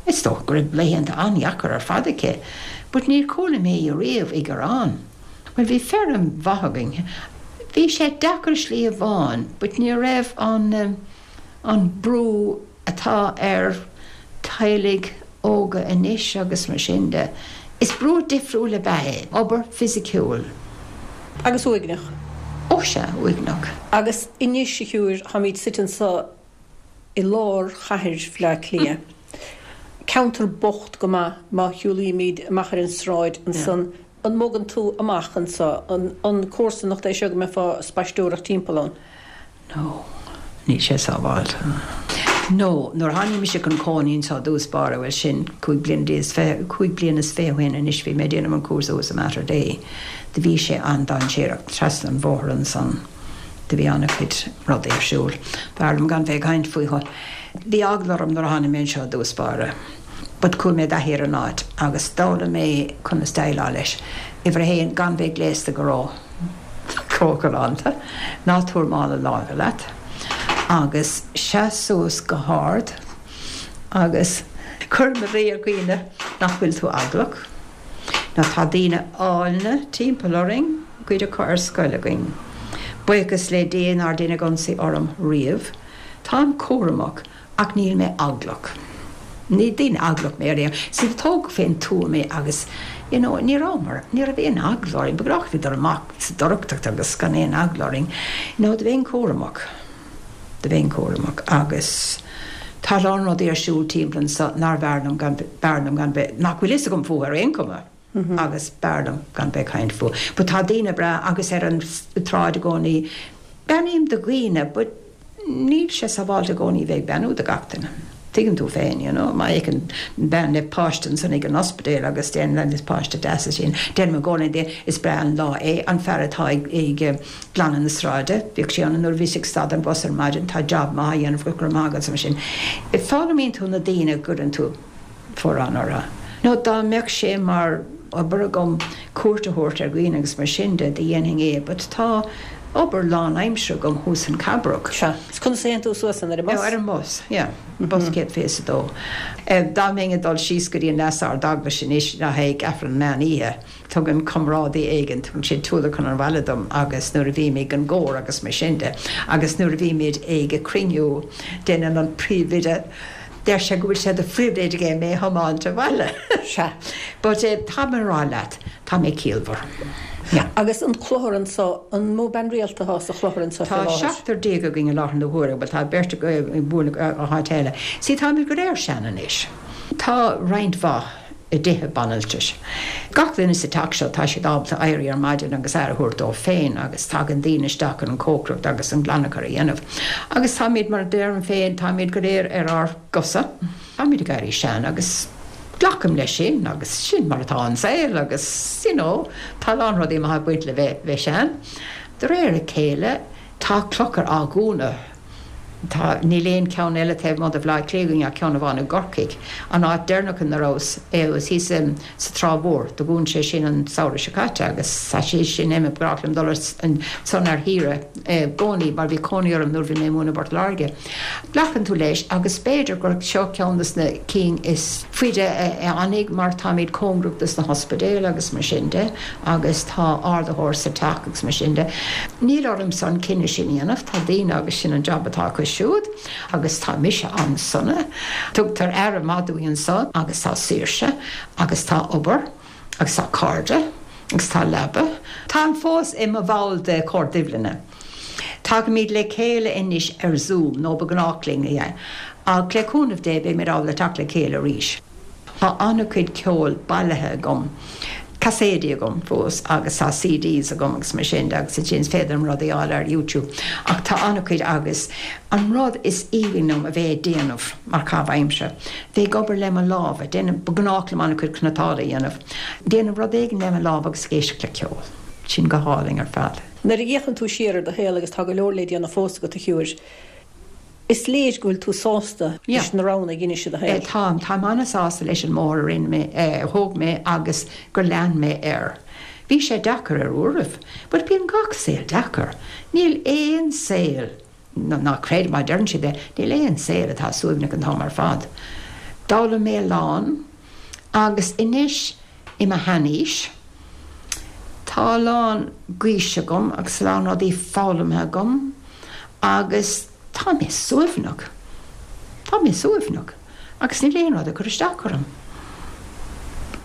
Is dócha go raibh laethanta an-dheacair ar fad aici, but níor chuala mé í riamh ag gearán. Bhuel, bhí feirm mhaith againn. Bhí sé deacair slí amháin but ní raibh an, an brú atá ar teaghlaigh óga anois agus mar sin de. Is brú difriúil ab ea é, obair fisiciúil. Agus uaigneach. Ó sea, uaigneach. Agus anois, a Shiúir, táimid suite anseo i lár chathair Bhaile Átha Cliath. Ceantar bocht go maith má shiúlaímid amach ar an sráid ansan. An mbogann tú amach anseo? An comharsanacht é seo go mbeifeá ag spaisteoireacht timpeall ann? No, níl sé sábháilte. No, nuair a tháinig mise chun cónaí anseo i dtús báire, bhuel sin 25 bliana 25 ó shin anois, bhí mé ag déanamh an cúrsa thuas i Mater Dei, do bhí sé an-dainséarach trasna an bhóthair ansan, do bhí an-chuid rudaí ar siúl. B'fhearr liom gan bheith ag caint fúthu. Bhí eagla orm nuair a tháinig mé anseo i dtús báire. But chuaigh mé i dtaithí ar an áit agus d'fhoghlaim mé conas déileáil leis. Uimhir a haon, gan bheith gléasta go ró, ró-ghalánta. Ná tabhair mála láimhe leat. Agus seas suas go hard agus cuir ina luí ar dhaoine nach bhfuil tú eaglach. Now tá daoine áilne timpeall orainn, cuid acu ar scoil againn. Buíochas le Dia nár deineadh ionsaí orm riamh. Táim cúramach. Ach níl mé eaglach. Ní duine eaglach mé ar aon. See, tógadh fén tuath mé agus, you know, ní rabhamar, ní raibh aon eagla orainn. Ba ghnách linn dul amach sa dorchadacht agus gan aon eagla orainn. You know, do bheinn cúramach. Do bheinn cúramach agus tá a lán rudaí ar siúl timpeall anso nár bhfearr liom gan, b'fhearr liom gan bheith, nach bhfuil fhios agam fúthu ar aon chuma agus b'fhearr liom gan bheith ag caint fúthu. But tá daoine breá agus ar an tsráid i gcónaí, beannaím do dhaoine but, Níl sé sábháilte i gcónaí bheith ag beannú do gach duine. Tuigeann tú féin, you know, má fheiceann bean le páiste ansan ag an ospidéal agus deireann is páiste deas é sin, deirim i gcónaí di, is breá an lá é, an fear atá ag glanadh na sráide, bhíodh sé ann nuair a bhíos ag stad an bhus ar maidin, tá job maith á dhéanamh go raibh maith agat mar sin. Foghlaimíonn tú na daoine a gcuireann tú. forrán orthu. Nó dá mbeadh sé mar obair agam cuairt a thabhairt ar dhaoine agus mar sin de, do dhéanfainn é, but tá obair lán-aimsire agam thuas in Cabrach. Sea. Is conas a théann tú suas ann? Ar an mbus? Ar an mbus, yeah. Bus 122. Dá mbeinn ag dul síos go dtí an Leas-Ard-Eaglais anois le haghaidh Aifreann Meán Oíche, Tugann comrádaí éigin, tugann sé tualar chun an bhaile dom agus nuair a bhím ag an gcór agus mar sin de agus nuair a bhímid ag cruinniú déanann an príomhoide, deir sé go bhfuil sé de phribhléid aige mé a thiomáint abhaile. Sea. But eh tá mé a rá leat, tá mé ciallmhar. Yeah. Agus an clochar anso, an mó bean rialta atá sa chlochar anso fé láthair? Tá 17 againn i láthair na huaire, bhuel tá beirt ag bualadh go háit eile. See táimid go léir sean anois. Tá roinnt mhaith. i dtithe banaltrais. Gach duine sa teach seo, tá siad ábalta éirí ar maidin agus aire a thabhairt dóibh féin agus tagann daoine isteach chun an chócaireacht agus an glanachar a dhéanamh. Agus táimid, mar a deirim féin, táimid go léir ar ár gcosa. Táimid ag éirí sean agus glacaim leis sin agus sin mar atá an saol agus, you know, tá a lán rudaí maithe ag baint le bheith, bheith sean. De réir a chéile, tá clochar á dhúnadh. Tá, níl aon cheann eile taobh amuigh de Bhaile Átha Cliath againn ach ceann amháin i gCorcaigh. An áit deireanach ina rabhas, thíos sa Trá Mhór, do dhún sé sin an samhradh seo caite agus tá sé sin imithe. Ba ghnách liom dul ansan ar shaoire i gcónaí mar bhí cónaí orm nuair a bhí mé ag múineadh i bPort Láirge. Glacann tú leis agus b'fhéidir gur seo ceann des na cinn is faide a fhanfaidh mar táimid cóngarach dos na hospidéil agus mar sin de agus tá ardaitheoir sa teach agus mar sin de. Níl ormsa an cinneadh sin a dhéanamh, tá daoine agus sin an jab atá acu siúd agus tá mise an-sona. Tugtar aire maith dúinn anseo agus tá saoirse agus tá obair agus tá cairde agus tá leaba. Táim fós i mo bhall de Chomhar Duibhlinne. Tagaimid le chéile anois ar Zoom, nó ba ghnách linn é, ach le cúnamh Dé beimid ábalta teacht le chéile arís. Tá an-chuid ceoil bailithe agam. Caséidí agam fós agus tá CDs agam agus mar sin de agus ansin is féidir liom rudaí a fháil ar YouTube ach tá an-chuid agus an rud is aoibhinn liom a bheith ag déanamh mar chaitheamh aimsire, bheith ag obair le mo lámha, déanamh, ba ghnách liom an-chuid cniotála a dhéanamh, déanamh rud éigin le mo lámha agus ag éisteacht le ceol. Sin go hálainn ar fad. Nuair a fhéachann tú siar ar do shaol agus tá go leor le déanamh fós agat a Shiúir, Is léir go bhfuil tú sásta leis na roghanna a dheinis i do shaol. Táim. Táim an-sásta leis an mbóthar a rinne mé, a thóg mé agus gur lean mé air. Bhí sé deacair ar uairibh, but bíonn gach saol deacair. Níl aon saol, ná creid má deireann siad é, níl aon saol atá suaimhneach an t-am ar fad. D'fhoghlaim mé a lán agus anois i mo sheanaois, tá a lán gaois agam agus a lán rudaí foghlamtha agam agus tá mé suaimhneach. Tá mé suaimhneach agus níl aon rud ag cur isteach orm.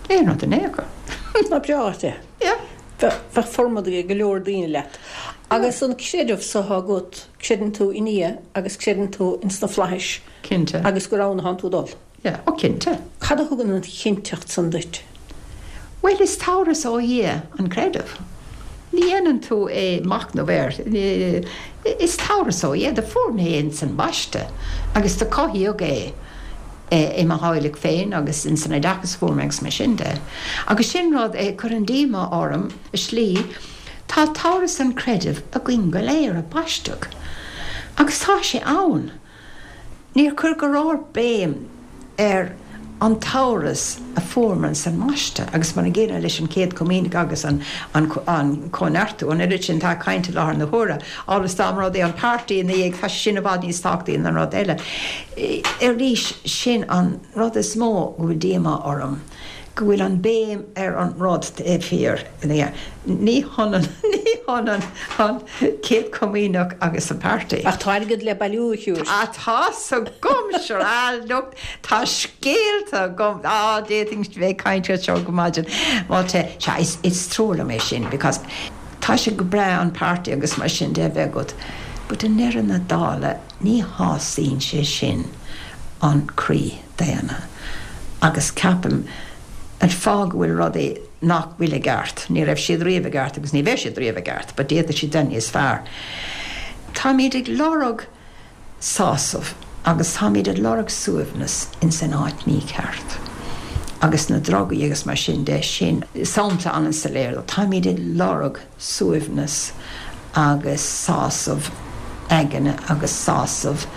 Aon rud in aon chor. Ná breá leat é. Yeah. Bheadh formad ag go leor daoine leat. Agus an creideamh so atá agat, creideann tú i nDia agus creideann tú ins na flaithis. Cinnte. Agus gur ann atánn tú ag dul. Yeah, oh cinnte. Cad a thugann an chinnteacht san duit? Bhuel, is tabharas ó Dhia an creideamh. Ní dhéanann tú é machnamh air. Is tabharas ó Dhia. Do fuair mé é ins an mbaisteadh agus do cothaíodh é i mo theaghlach féin agus ins an oideachas a fuair mé agus mar sin de. Agus sin rud a chuireann díomá orm i slí. Tá tabharas an chreidimh againn go léir a baisteadh agus tá sé ann. Níor cuireadh go leor béim ar an tabharas a fuaireamar ins an mbaisteadh agus mar an gcéanna leis an Chéad Chomaoineach agus an Cóineartú, an oiread sin atá caint i láthair na huaire, amhail is dá mba rud é an páirtí ina dhiaidh, tá sé sin i bhfad níos tábhachtaí ná an rud eile. Arís, sin an rud is mó go bhfuil díomá orm. go bhfuil an béim ar an rud taobh thiar. Ní hionann, ní hionann an Chéad Chomaoineach agus an Páirtí. Ach tá airgead le bailiú, a Shiúir. Tá, tá's agam, sure, ah look, tá scéalta agam, ah d'fhéadfainn bheith ag caint air seo go maidin. But, sea, is, is trua liom é sin because tá sé go breá an páirtí agus mar sin de a bheith agat but i ndeireadh na dála ní shásaíonn sé sin an croí. daonna. Agus ceapaim, an fáth go bhfuil rudaí nach bhfuil i gceart, ní raibh siad riamh i gceart agus ní bheidh siad riamh i gceart, but d'fhéadfadh siad bheith níos fearr. Táimid ag lorg sásamh agus táimid ag lorg suaimhneas ins an áit mícheart. Agus na drugaí agus mar sin de, sin sampla an-soiléir de. Táimid ag lorg. suaimhneas agus sásamh aigne agus sásamh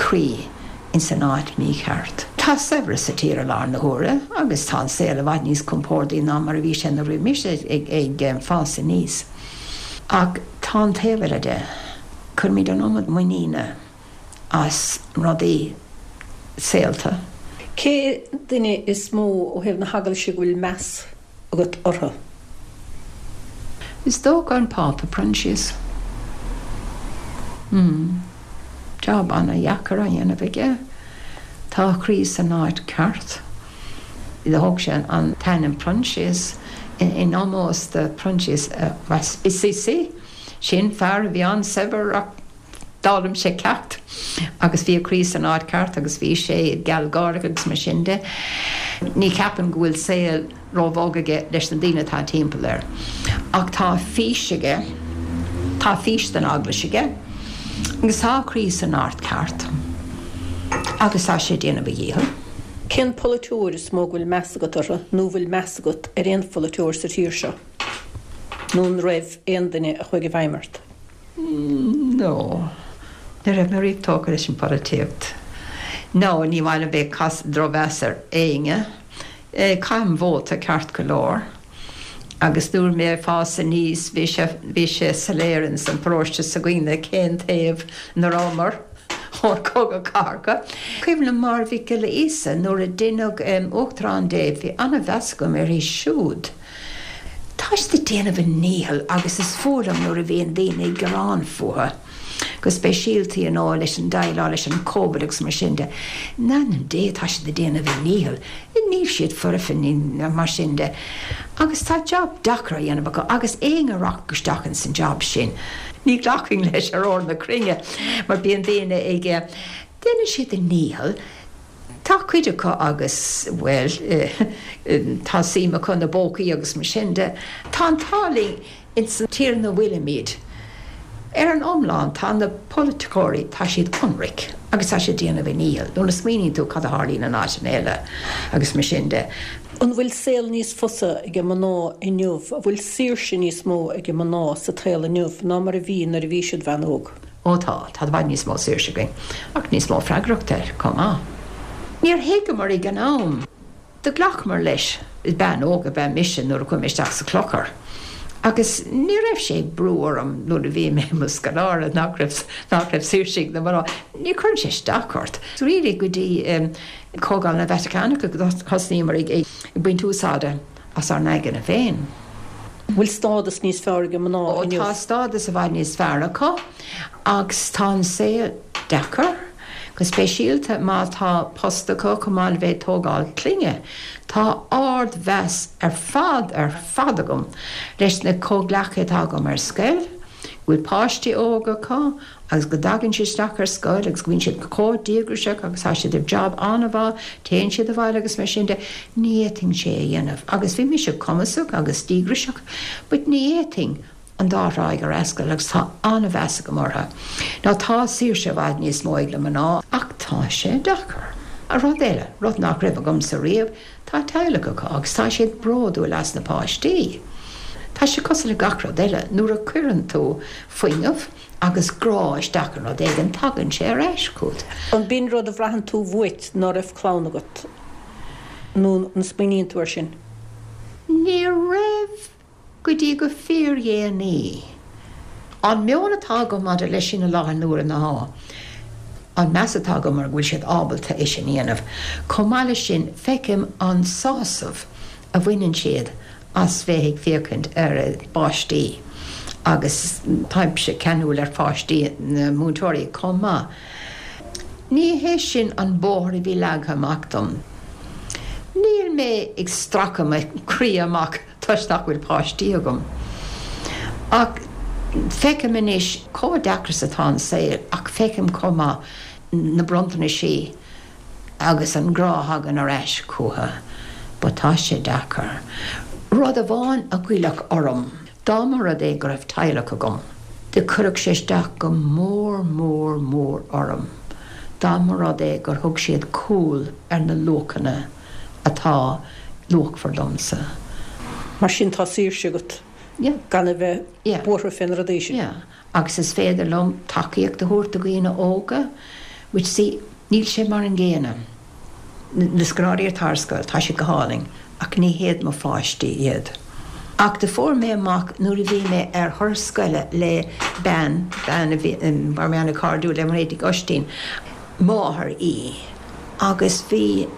croí ins an áit mícheart. Tá saibhreas sa tír i láthair na huaire agus tá an saol i bhfad níos compórdaí ná mar a bhí sé nuair a bhí mise ag fás aníos. Ach tá an taobh eile de, cuirimid an iomad muiníne as rudaí saolta. Cé duine is mó ó thaobh na hEaglaise go bhfuil meas agat orthu? Is dócha an Pápa Proinsias. Hmm. Job ana-dheacair á dhéanamh aige. Tá a chroí san áit ceart. Thóg sé an t-ainm Proinsias in ómós do Proinsias Assisi. Sin fear a bhí an-saibhir ach D'fhoghlaim sé ceacht agus bhí a chroí san áit ceart agus bhí sé gealgháireach agus mar sin de. Ní cheapaim go bhfuil saol róbhog aige leis na daoine atá timpeall air. Ach tá fís aige, tá fís don Eaglais aige agus tá a chroí san áit ceart agus tá sé ag déanamh a dhícheall. Cén polaiteoir is mó go bhfuil meas agat orthu nó an bhfuil meas agat ar aon pholaiteoir sa tír seo? Nó an raibh aon duine a chuaigh i bhfeidhm ort? No. Ní raibh mé riamh tógtha leis an pholaitíocht. No, ní maith liom bheith ag cur drochmheas ar éinne. Caithim vóta ceart go leor. Agus nuair mé ag fás aníos bhí sé, bhí sé soiléir ins an paróiste s'againne cén taobh ina rabhamar ón Cogadh Cathartha. Cuimhin liom Máire Mhic Giolla Íosa nuair a deineadh Uachtarán di, bhí an-mheas agam uirthi siúd. Tá siad ag déanamh a ndícheall agus is fuath liom nuair a bhíonn daoine ag gearán fúthu, go speisialta you know leis an déileáil leis an Covid agus mar sin de. In ainm Dé tá siad ag déanamh a ndícheall, níl siad foirfe ní mar sin de. Agus tá job deacair á dhéanamh acu agus éinne a rachadh isteach ins an job sin, ní ghlacfainn leis ar ór na cruinne mar bíonn daoine ag, déanann siad a ndícheall. Tá cuid acu agus, bhuel, tá suim acu ina bpócaí agus mar sin de. Tá an t-ádh linn ins an tír ina bhfuilimid. Ar an iomlán, tá na polaiticeoirí, tá siad ionraic agus tá siad ag déanamh a ndícheall nuair a smaoiníonn tú cad a tharlaíonn in áiteanna eile agus mar sin de. An bhfuil saol níos fusa ag mná inniu, an bhfuil saoirse níos mó ag mná sa tsaol inniu ná mar a bhí nuair a bhí siad bhean óg? Ó tá, tá i bhfad níos mó saoirse againn, ach níos mó freagrachta chomh maith. Níor thuigeamar ag an am. Do ghlacamar leis. Bean óg ab ea mise nuair a chuaigh mé isteach sa chlochar agus ní raibh sé ag brú orm nuair a bhí mé i mo scoláire nach raibh nach raibh saoirse ag na mná. Ní chuireann sé isteach ort. Really go dtí Comhdháil na Vatacánacha go thosnaíomar ag baint úsáide as ár n-aigne féin. Bhfuil stádas níos fearr ag mná Ó inniu? tá stádas i bhfad níos fearr acu agus tá an saol deacair, go speisialta má tá post acu chomh maith le bheith ag tógáil clainne. Tá ardmheas ar fad ar fad agam leis na comhghleacaithe atá agam ar scoil, go bhfuil páistí óga acu agus go dtagann siad isteach ar scoil agus go mbíonn siad chomh díograiseach agus tá siad ar job an-mhaith, téann siad abhaile agus mar sin de, ní fhéadfainn sé a dhéanamh. Agus bhí mise cumasach agus díograiseach but ní fhéadfainn an dá thráigh a fhreastal agus tá an-mheas agam orthu. Now tá saoirse i bhfad níos mó ag na mná ach tá sé deacair. Rud eile, rud nach raibh agamsa riamh, tá teaghlach acu agus tá siad bródúil as na páistí. Tá sé cosúil le gach rud eile, nuair a cuireann tú fuinneamh agus grá isteach in rud éigin, tagann sé ar ais chugat. An b'in rud a bhraitheann tú uait ná raibh clann agat nó an smaoiníonn tú air sin? Ní raibh go dtí go fíordhéanaí. An meon atá agam maidir leis sin i láthair na huaire ná an meas atá agam orthu go bhfuil siad ábalta é sin a dhéanamh. Chomh maith leis sin, feicim an sásamh a bhaineann siad as bheith ag féachaint ar a bpáistí agus táimse ceanúil ar pháistí na múinteoirí chomh maith. Ní hé sin an bóthar a bhí leagtha amach dom. Níl mé ag stracadh mo chroí amach toisc nach bhfuil páistí agam. Ach feicim anois chomh deacair is atá an saol ach feicim chomh maith na bronntanaisí agus an grá a thagann ar ais chucu. But tá sé deacair. Rud amháin a ghoillfeadh orm, dá mba rud é go raibh teaghlach agam, do chuirfeadh sé isteach go mór mór mór orm dá mba rud é gur thug siad cúl ar na luachanna atá luachmhar domsa. Mar sin tá saoirse agat gan a bheith buartha fé na rudaí sin. Yeah. Agus is féidir liom tacaíocht a thabhairt do dhaoine óga, which see, níl sé mar an gcéanna. Na scoláirí atá ar scoil, tá siad go hálainn, ach ní hiad mo pháistí iad. Ach do fuair mé amach nuair a bhí mé ar thuras scoile le bean, bean a bhí, raibh mé an-chairdiúil le Mairéad Nic Oistín, máthair í, agus bhí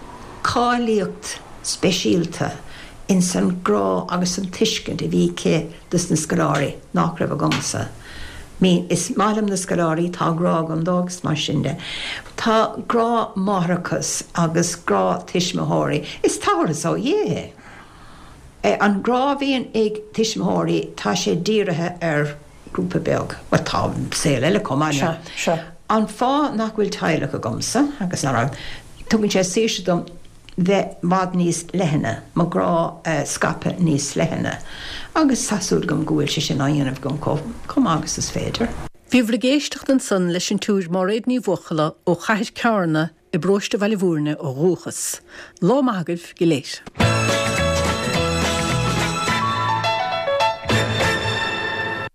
cáilíocht speisialta ins an grá agus an tuiscint a bhí aici dos na scoláirí nach raibh agamsa. Mean, is maith liom na scoláirí, tá grá agam dóibh agus mar sin de. Tá grá máithreachas agus grá tuismitheoirí, is tabharthas ó Dhia é. An grá a bhíonn ag tuismitheoirí, tá sé dírithe ar grúpa beag. Bhuel, tá saol eile chomh maith. Sea, sea. An fáth nach bhfuil teaghlach agamsa, agus nach raibh, tugann sé saoirse dom bheith i bhfad níos leithne, mo ghrá a scaipeadh níos leithne, agus tá súil agam go bhfuil sé sin á dhéanamh agam chomh maith agus is féidir. Bhíobhair ag éisteacht ansan leis an tSiúr Máiréad Ní Bhuachalla ó Chathair Cearna i bparóiste Bhaile Mhúirne ó dhúchas. Lá maith agaibh go léir.